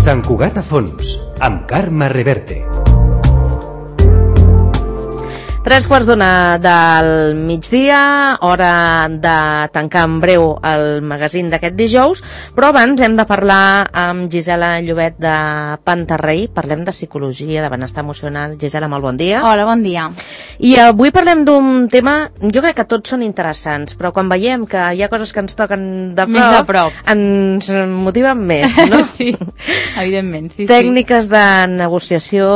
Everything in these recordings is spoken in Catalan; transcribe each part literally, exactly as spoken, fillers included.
Sant Cugat a fons, amb Carme Reverte. Tres quarts d'una del migdia, hora de tancar en breu el magazín d'aquest dijous, però abans hem de parlar amb Gisela Llobet de Pantarrei. Parlem de psicologia, de benestar emocional. Gisela, molt bon dia. Hola, bon dia. I avui parlem d'un tema, jo crec que tots són interessants, però quan veiem que hi ha coses que ens toquen de prop, més de prop. ens motiven més, no? Sí, evidentment, sí, Tècniques sí. de negociació...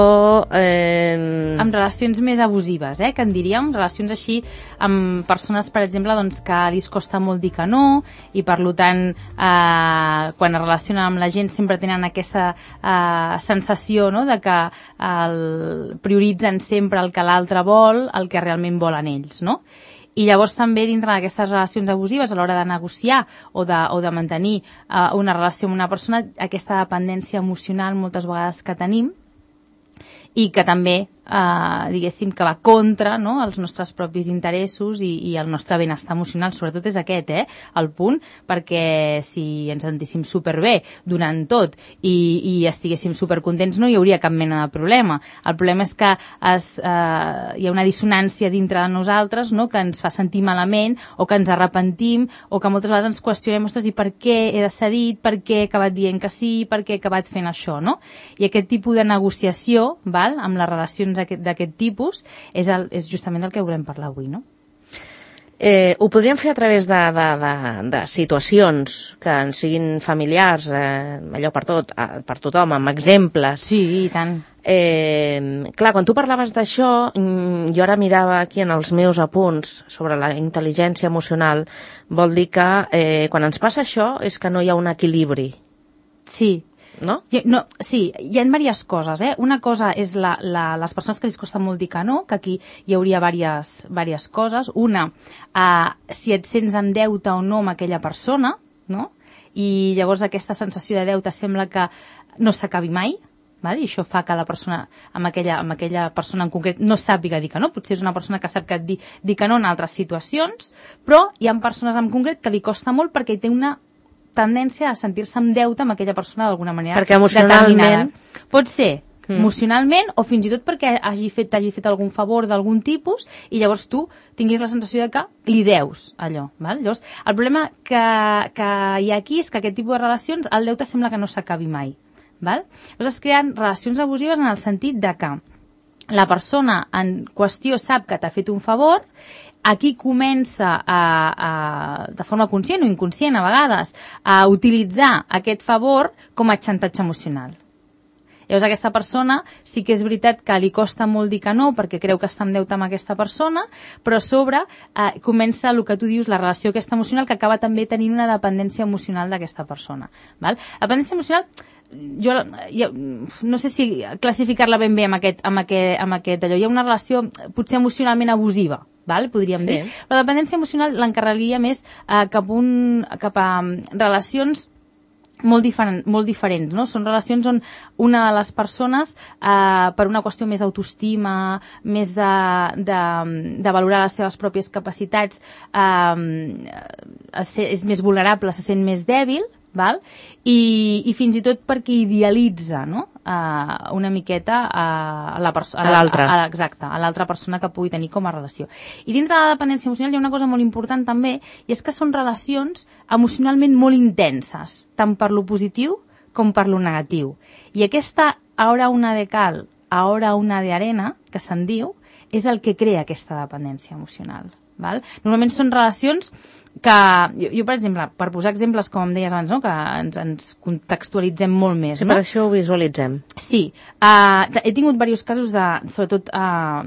Eh... amb relacions més abusives, eh, que en diríem, relacions així amb persones, per exemple, doncs, que li costa molt dir que no, i per tant, eh, quan es relacionen amb la gent sempre tenen aquesta eh, sensació, no?, de que el, prioritzen sempre el que l'altre vol, el que realment volen ells, no? I llavors també dintre d'aquestes relacions abusives, a l'hora de negociar o de, o de mantenir eh, una relació amb una persona, aquesta dependència emocional moltes vegades que tenim, i que també, eh, diguéssim, que va contra, no?, els nostres propis interessos i, i el nostre benestar emocional. Sobretot és aquest, eh, el punt, perquè si ens sentíssim superbé donant tot i, i estiguéssim supercontents no hi hauria cap mena de problema. El problema és que es, eh, hi ha una dissonància dintre de nosaltres, no?, que ens fa sentir malament o que ens arrepentim o que moltes vegades ens qüestionem, ostres, i per què he decidit, per què he acabat dient que sí, per què he acabat fent això, no? I aquest tipus de negociació, val?, amb les relacions d'aquest tipus és, el, és justament del que volem parlar avui, no? Eh, ho podríem fer a través de, de, de, de situacions que en siguin familiars, eh, allò per tot, per tothom, amb exemples. Sí, i tant. Eh, clar, quan tu parlaves d'això, jo ara mirava aquí en els meus apunts sobre la intel·ligència emocional, vol dir que eh, quan ens passa això és que no hi ha un equilibri. Sí. No? No, sí, hi ha diverses coses, eh? Una cosa és la, la, les persones que els costa molt dir que no, que aquí hi hauria diverses, diverses coses. Una, eh, si et sents en deute o no amb aquella persona, no? I llavors aquesta sensació de deute sembla que no s'acabi mai, val? I això fa que la persona, amb aquella, amb aquella persona en concret, no sàpiga dir que no. Potser és una persona que sap que et di, dir que no en altres situacions, però hi ha persones en concret que li costa molt perquè té una tendència a sentir-se en deute amb aquella persona d'alguna manera perquè emocionalment determinada. Pot ser mm. emocionalment o fins i tot perquè hagi fet, t'hagi fet algun favor d'algun tipus i llavors tu tinguis la sensació de que li deus allò. Val? Llavors, el problema que, que hi ha aquí és que aquest tipus de relacions, el deute sembla que no s'acabi mai. Val? Llavors es creen relacions abusives en el sentit de que la persona en qüestió sap que t'ha fet un favor. Aquí comença, a, a, de forma conscient o inconscient a vegades, a utilitzar aquest favor com a xantatge emocional. Llavors aquesta persona sí que és veritat que li costa molt dir que no perquè creu que està en deute amb aquesta persona, però a sobre eh, comença el que tu dius, la relació aquesta emocional, que acaba també tenint una dependència emocional d'aquesta persona. Val? La dependència emocional, jo, jo no sé si classificar-la ben bé amb aquest, amb aquest, amb aquest allò. Hi ha una relació potser emocionalment abusiva, val? Podríem sí. dir. La dependència emocional l'encarregaria més eh, cap, un, cap a um, relacions molt, diferent, molt diferents, no? Són relacions on una de les persones, eh, per una qüestió més d'autoestima, més de, de, de valorar les seves pròpies capacitats, eh, és més vulnerable, se sent més dèbil, val? I, i fins i tot perquè idealitza, no?, uh, una miqueta uh, a la persona, a l'altra, exacte, a l'altra persona que pugui tenir com a relació. I dintre de la dependència emocional hi ha una cosa molt important també, i és que són relacions emocionalment molt intenses, tant per lo positiu com per lo negatiu. I aquesta aura una de cal, aura una de arena, que se'n diu, és el que crea aquesta dependència emocional. Val? Normalment són relacions que, jo, jo per exemple, per posar exemples com em deies abans, no? Que ens, ens contextualitzem molt més, sí, no? per això ho visualitzem. Sí, uh, he tingut diversos casos de, sobretot uh,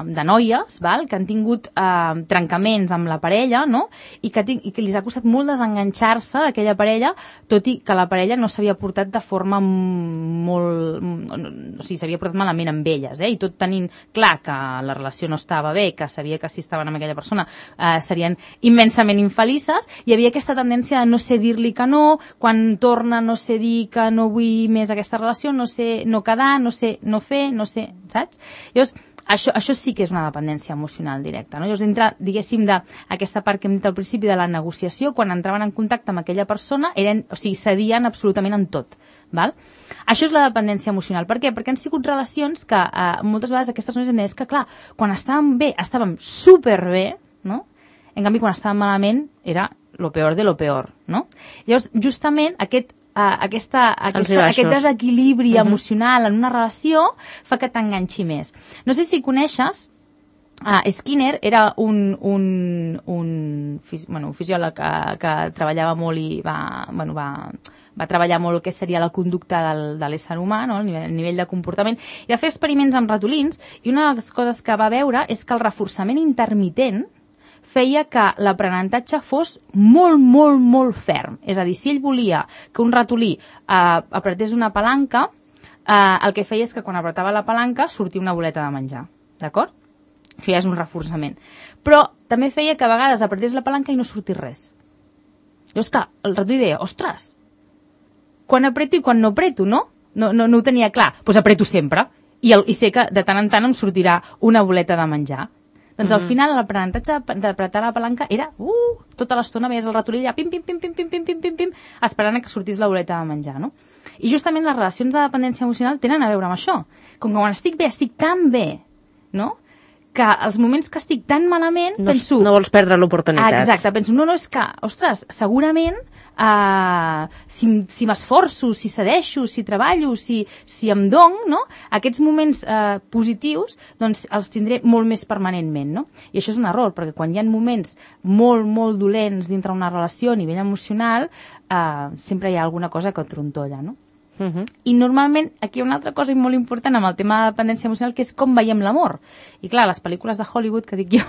de noies, val? Que han tingut uh, trencaments amb la parella, no? I que, i que li ha costat molt desenganxar-se d'aquella parella, tot i que la parella no s'havia portat de forma molt, o sigui, s'havia portat malament amb elles, eh? I tot tenint clar que la relació no estava bé, que sabia que si estaven amb aquella persona uh, serien immensament infelices, hi havia aquesta tendència de no sé dir-li que no, quan torna no sé dir que no vull més aquesta relació, no sé no quedar, no sé no fer, no sé, saps? Llavors, això, això sí que és una dependència emocional directa, no? Llavors, dintre, diguéssim, d'aquesta part que hem dit al principi de la negociació, quan entraven en contacte amb aquella persona, eren, o sigui, cedien absolutament en tot, Val? Això és la dependència emocional. Per què? Perquè han sigut relacions que eh, moltes vegades aquestes noies han dit que, clar, quan estàvem bé, estàvem superbé, no? En canvi, quan estàvem malament, era lo peor de lo peor, no? Llavors, justament, aquest, uh, aquesta, aquesta, aquest desequilibri uh-huh. emocional en una relació fa que t'enganxi més. No sé si coneixes, uh, Skinner era un, un, un, bueno, un fisiòleg que, que treballava molt i va... Bueno, va va treballar molt el que seria la conducta del, de l'ésser humà, no? el, nivell, el nivell de comportament, i va fer experiments amb ratolins, i una de les coses que va veure és que el reforçament intermitent feia que l'aprenentatge fos molt, molt, molt ferm. És a dir, si ell volia que un ratolí eh, apretés una palanca, eh, el que feia és que quan apretava la palanca sortia una boleta de menjar. D'acord? Això ja és un reforçament. Però també feia que a vegades apretés la palanca i no sortís res. Llavors, clar, el ratolí deia, ostres, quan apreto i quan no apreto, no? No, no, no ho tenia clar. Doncs pues apreto sempre. I, el, I sé que de tant en tant em sortirà una boleta de menjar. Doncs mm-hmm. al final l'aprenentatge d'apretar la palanca era, uh, tota l'estona veies el ratolí allà, pim, pim, pim, pim, pim, pim, pim, pim, pim, esperant que sortís la boleta de menjar, no? I justament les relacions de dependència emocional tenen a veure amb això. Com que quan estic bé, estic tan bé, no?, que els moments que estic tan malament, no, penso... No vols perdre l'oportunitat. Ah, exacte, penso, no, no, és que, ostres, segurament, uh, si, si m'esforço, si cedeixo, si treballo, si, si em dono, no?, aquests moments uh, positius, doncs els tindré molt més permanentment, no? I això és un error, perquè quan hi ha moments molt, molt dolents dintre una relació a nivell emocional, uh, sempre hi ha alguna cosa que trontolla, no? Uh-huh. I normalment aquí hi ha una altra cosa molt important amb el tema de dependència emocional, que és com veiem l'amor. I clar, les pel·lícules de Hollywood, que dic jo,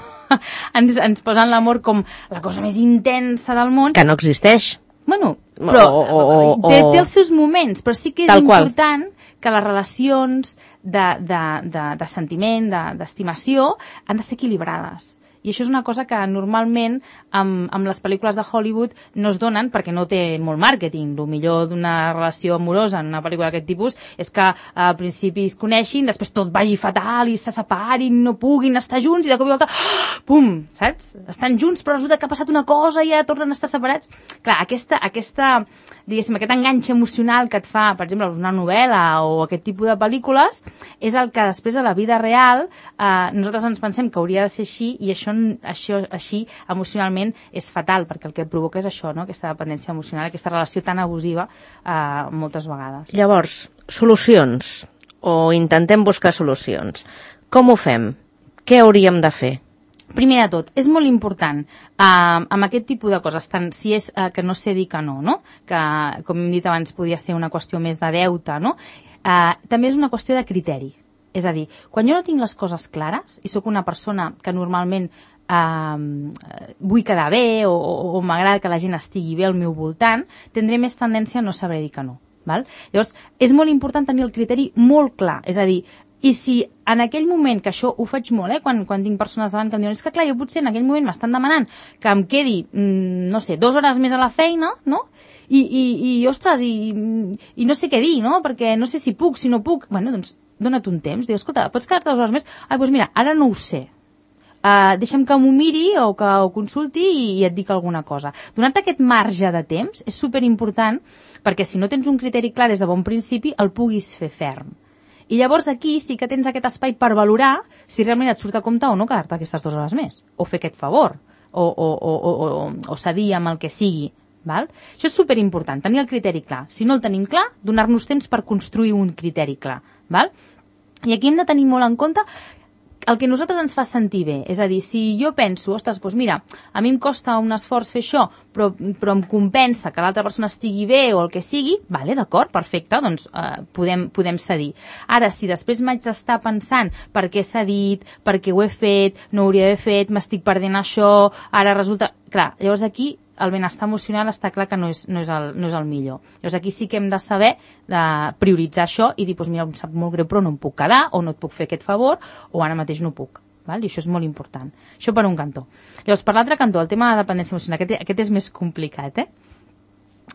ens, ens posen l'amor com la cosa més intensa del món. Que no existeix. Bueno, però o, o, o, té, té els seus moments, però sí que és Tal important qual. Que les relacions de, de, de, de sentiment, de, d'estimació, han de ser equilibrades. I això és una cosa que normalment amb, amb les pel·lícules de Hollywood no es donen perquè no té molt màrqueting. El millor d'una relació amorosa en una pel·lícula d'aquest tipus és que al principi es coneixin, després tot vagi fatal i se separin, no puguin estar junts i de cop i volta, oh, pum, saps? Estan junts però resulta que ha passat una cosa i ja tornen a estar separats. Clar, aquesta, aquesta, diguéssim, aquest enganx emocional que et fa, per exemple, una novel·la o aquest tipus de pel·lícules, és el que després a la vida real eh, nosaltres ens pensem que hauria de ser així i això això així emocionalment és fatal, perquè el que et provoca és això, no? Aquesta dependència emocional, aquesta relació tan abusiva eh, moltes vegades. Llavors, solucions, o intentem buscar solucions. Com ho fem? Què hauríem de fer? Primer de tot, és molt important eh, amb aquest tipus de coses, tant si és eh, que no sé dir que no, no? Que, com hem dit abans, podia ser una qüestió més de deute, no? Eh, també és una qüestió de criteri. És a dir, quan jo no tinc les coses clares i sóc una persona que normalment eh, vull quedar bé o, o, o m'agrada que la gent estigui bé al meu voltant, tindré més tendència a no saber dir que no. Val? Llavors, és molt important tenir el criteri molt clar. És a dir, i si en aquell moment, que això ho faig molt, eh, quan, quan tinc persones davant que em diuen és que clar, jo potser en aquell moment m'estan demanant que em quedi, mm, no sé, dues hores més a la feina, no?, I, i, i ostres, i, i no sé què dir, no?, perquè no sé si puc, si no puc. Bueno, doncs, dona't un temps, diu, escolta, pots quedar-te dues hores més? Ai, doncs mira, ara no ho sé. Uh, deixa'm que m'ho miri o que ho consulti i, i et dic alguna cosa. Donar-te aquest marge de temps és superimportant perquè si no tens un criteri clar des de bon principi el puguis fer ferm. I llavors aquí sí que tens aquest espai per valorar si realment et surt a compte o no quedar-te aquestes dues hores més. O fer aquest favor. O, o, o, o, o, o cedir amb el que sigui. Val? Això és superimportant, tenir el criteri clar. Si no el tenim clar, donar-nos temps per construir un criteri clar. Val? I aquí hem de tenir molt en compte el que a nosaltres ens fa sentir bé. És a dir, si jo penso, ostres, doncs mira, a mi em costa un esforç fer això, però, però em compensa que l'altra persona estigui bé o el que sigui, vale, d'acord, perfecte, doncs eh, podem, podem cedir. Ara, si després m'haig d'estar pensant per què s'ha dit, per què ho he fet, no ho hauria d'haver fet, m'estic perdent això, ara resulta... Clar, llavors aquí el benestar emocional està clar que no és, no és, el, no és el millor. Llavors aquí sí que hem de saber de prioritzar això i dir, doncs mira, em sap molt greu però no em puc quedar o no et puc fer aquest favor o ara mateix no puc. Val? I això és molt important. Això per un cantó. Llavors, per l'altre cantó, el tema de dependència emocional, aquest, aquest és més complicat, eh?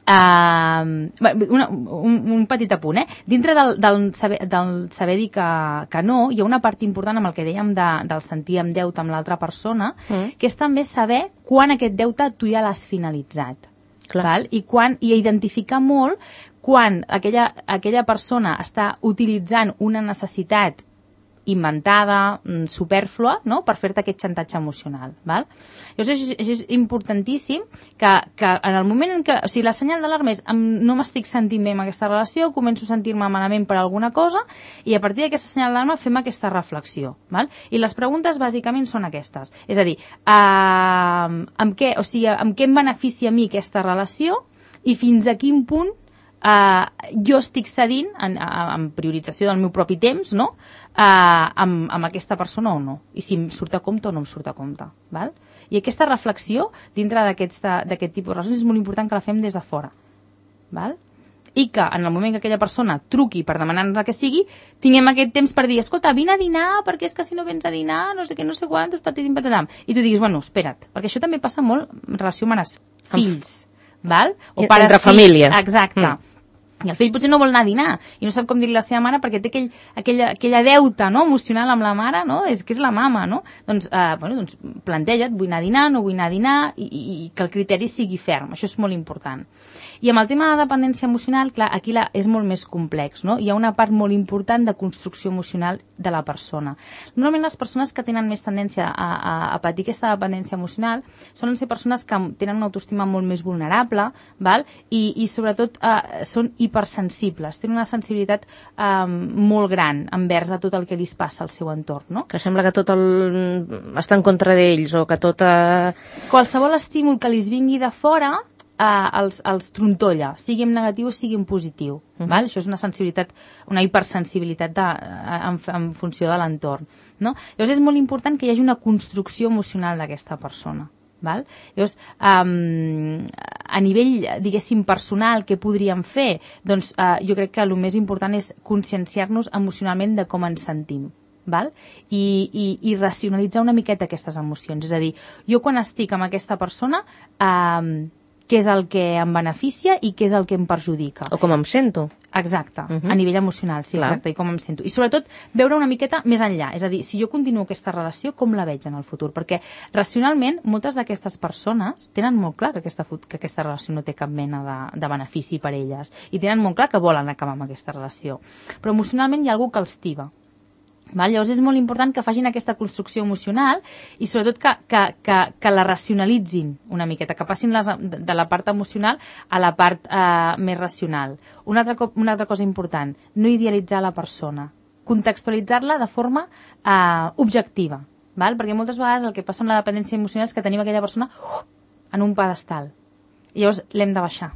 Uh, una, un, un petit apunt, eh? Dintre del, del, saber, del saber dir que, que no, hi ha una part important amb el que dèiem de, del sentir amb deute amb l'altra persona, mm. que és també saber quan aquest deute tu ja l'has finalitzat. Val? I, quan, i identificar molt quan aquella, aquella persona està utilitzant una necessitat inventada, supèrflua, no?, per fer-te aquest xantatge emocional. Val? Llavors és, és importantíssim que, que en el moment en què... O sigui, la senyal d'alarma és no m'estic sentint bé en aquesta relació, començo a sentir-me malament per alguna cosa, i a partir d'aquesta senyal d'alarma fem aquesta reflexió. Val? I les preguntes bàsicament són aquestes. És a dir, eh, amb, què, o sigui, amb què em beneficia a mi aquesta relació i fins a quin punt Uh, jo estic cedint en, en priorització del meu propi temps, no? uh, amb, amb aquesta persona o no, i si em surt a compte o no em surt a compte, val? I aquesta reflexió dintre d'aquest tipus de relacions és molt important que la fem des de fora, val? I que en el moment que aquella persona truqui per demanar-nos el que sigui, tinguem aquest temps per dir, escolta, vine a dinar, perquè és que si no vens a dinar, no sé què, no sé quantos, patatim, patatam. I tu diguis, bueno, espera't, perquè això també passa molt en relació amb els fills, val? O pares, entre famílies. Exacte. Mm. I el fill potser no vol anar a dinar i no sap com dir-li a la seva mare perquè té aquell, aquella, aquella deuta, no?, emocional amb la mare, no?, és que és la mama, no? Doncs, eh, bueno, doncs planteja't, vull anar a dinar, no vull anar a dinar, i, i, i que el criteri sigui ferm, això és molt important. I amb el tema de dependència emocional, clar, aquí la, és molt més complex, no? Hi ha una part molt important de construcció emocional de la persona. Normalment les persones que tenen més tendència a, a, a patir aquesta dependència emocional solen ser persones que tenen una autoestima molt més vulnerable, val? I, i sobretot eh, són hipersensibles, tenen una sensibilitat eh, molt gran envers a tot el que li passa al seu entorn, no? Que sembla que tot el... està en contra d'ells o que tot... Eh... Qualsevol estímul que li vingui de fora Uh, els, els trontolla, sigui en negatiu o sigui en positiu. Uh-huh. Val? Això és una sensibilitat, una hipersensibilitat de, en, en funció de l'entorn. No? Llavors és molt important que hi hagi una construcció emocional d'aquesta persona. Val? Llavors, um, a nivell, diguéssim, personal, què podríem fer? Doncs uh, jo crec que el més important és conscienciar-nos emocionalment de com ens sentim. Val? I, i, i racionalitzar una miqueta aquestes emocions. És a dir, jo quan estic amb aquesta persona... Um, què és el que em beneficia i què és el que em perjudica. O com em sento. Exacte, uh-huh. a nivell emocional, sí, clar. Exacte, i com em sento. I sobretot veure una miqueta més enllà, és a dir, si jo continuo aquesta relació, com la veig en el futur? Perquè racionalment moltes d'aquestes persones tenen molt clar que aquesta, que aquesta relació no té cap mena de, de benefici per elles i tenen molt clar que volen acabar amb aquesta relació. Però emocionalment hi ha algú que els tiba. Val? Llavors és molt important que facin aquesta construcció emocional i sobretot que, que, que, que la racionalitzin una miqueta, que passin les, de la part emocional a la part eh, més racional. Una altra, una altra cosa important, no idealitzar la persona, contextualitzar-la de forma eh, objectiva, val? Perquè moltes vegades el que passa amb la dependència emocional és que tenim aquella persona uh, en un pedestal i llavors l'hem de baixar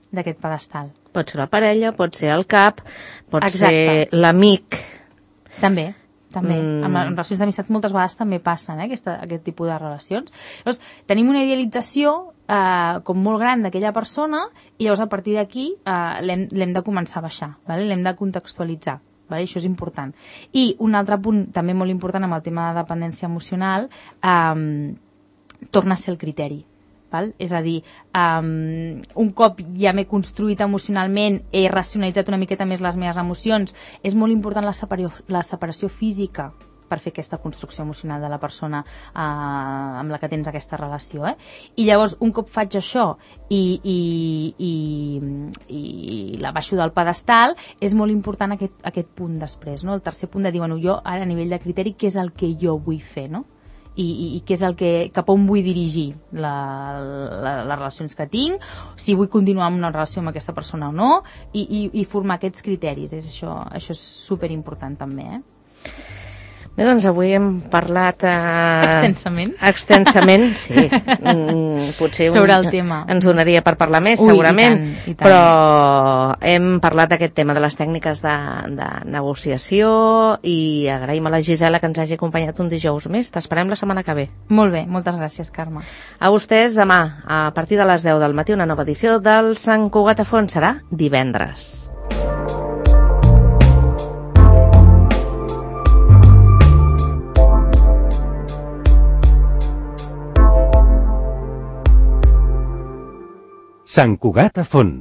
d'aquest pedestal. Pot ser la parella, pot ser el cap, pot Exacte. ser l'amic... També, també. Mm. En, en relacions d'amistats moltes vegades també passen eh, aquesta, aquest tipus de relacions. Llavors, tenim una idealització eh, com molt gran d'aquella persona i llavors a partir d'aquí eh, l'hem de començar a baixar, vale? L'hem de contextualitzar. Vale? Això és important. I un altre punt també molt important amb el tema de dependència emocional eh, torna a ser el criteri. Val? És a dir, um, un cop ja m'he construït emocionalment, he racionalitzat una miqueta més les meves emocions, és molt important la separació, la separació física per fer aquesta construcció emocional de la persona uh, amb la que tens aquesta relació. Eh? I llavors, un cop faig això i, i, i, i la baixo del pedestal, és molt important aquest, aquest punt després. No? El tercer punt de dir, bueno, jo ara a nivell de criteri, què és el que jo vull fer, no? I, i, i què és el que, cap on vull dirigir la, la, les relacions que tinc, si vull continuar amb una relació amb aquesta persona o no, i, i, i formar aquests criteris. És això, això és superimportant també, eh? Bé, doncs avui hem parlat... Eh... Extensament. Extensament, sí. Mm, potser sobre un, el tema. Ens donaria per parlar més, Ui, segurament. i tant, i tant. Però hem parlat d'aquest tema de les tècniques de, de negociació i agraïm a la Gisela que ens hagi acompanyat un dijous més. T'esperem la setmana que ve. Molt bé, moltes gràcies, Carme. A vostès, demà, a partir de les deu del matí, una nova edició del Sant Cugat a Fons. Serà divendres. Sant Cugat a Fons.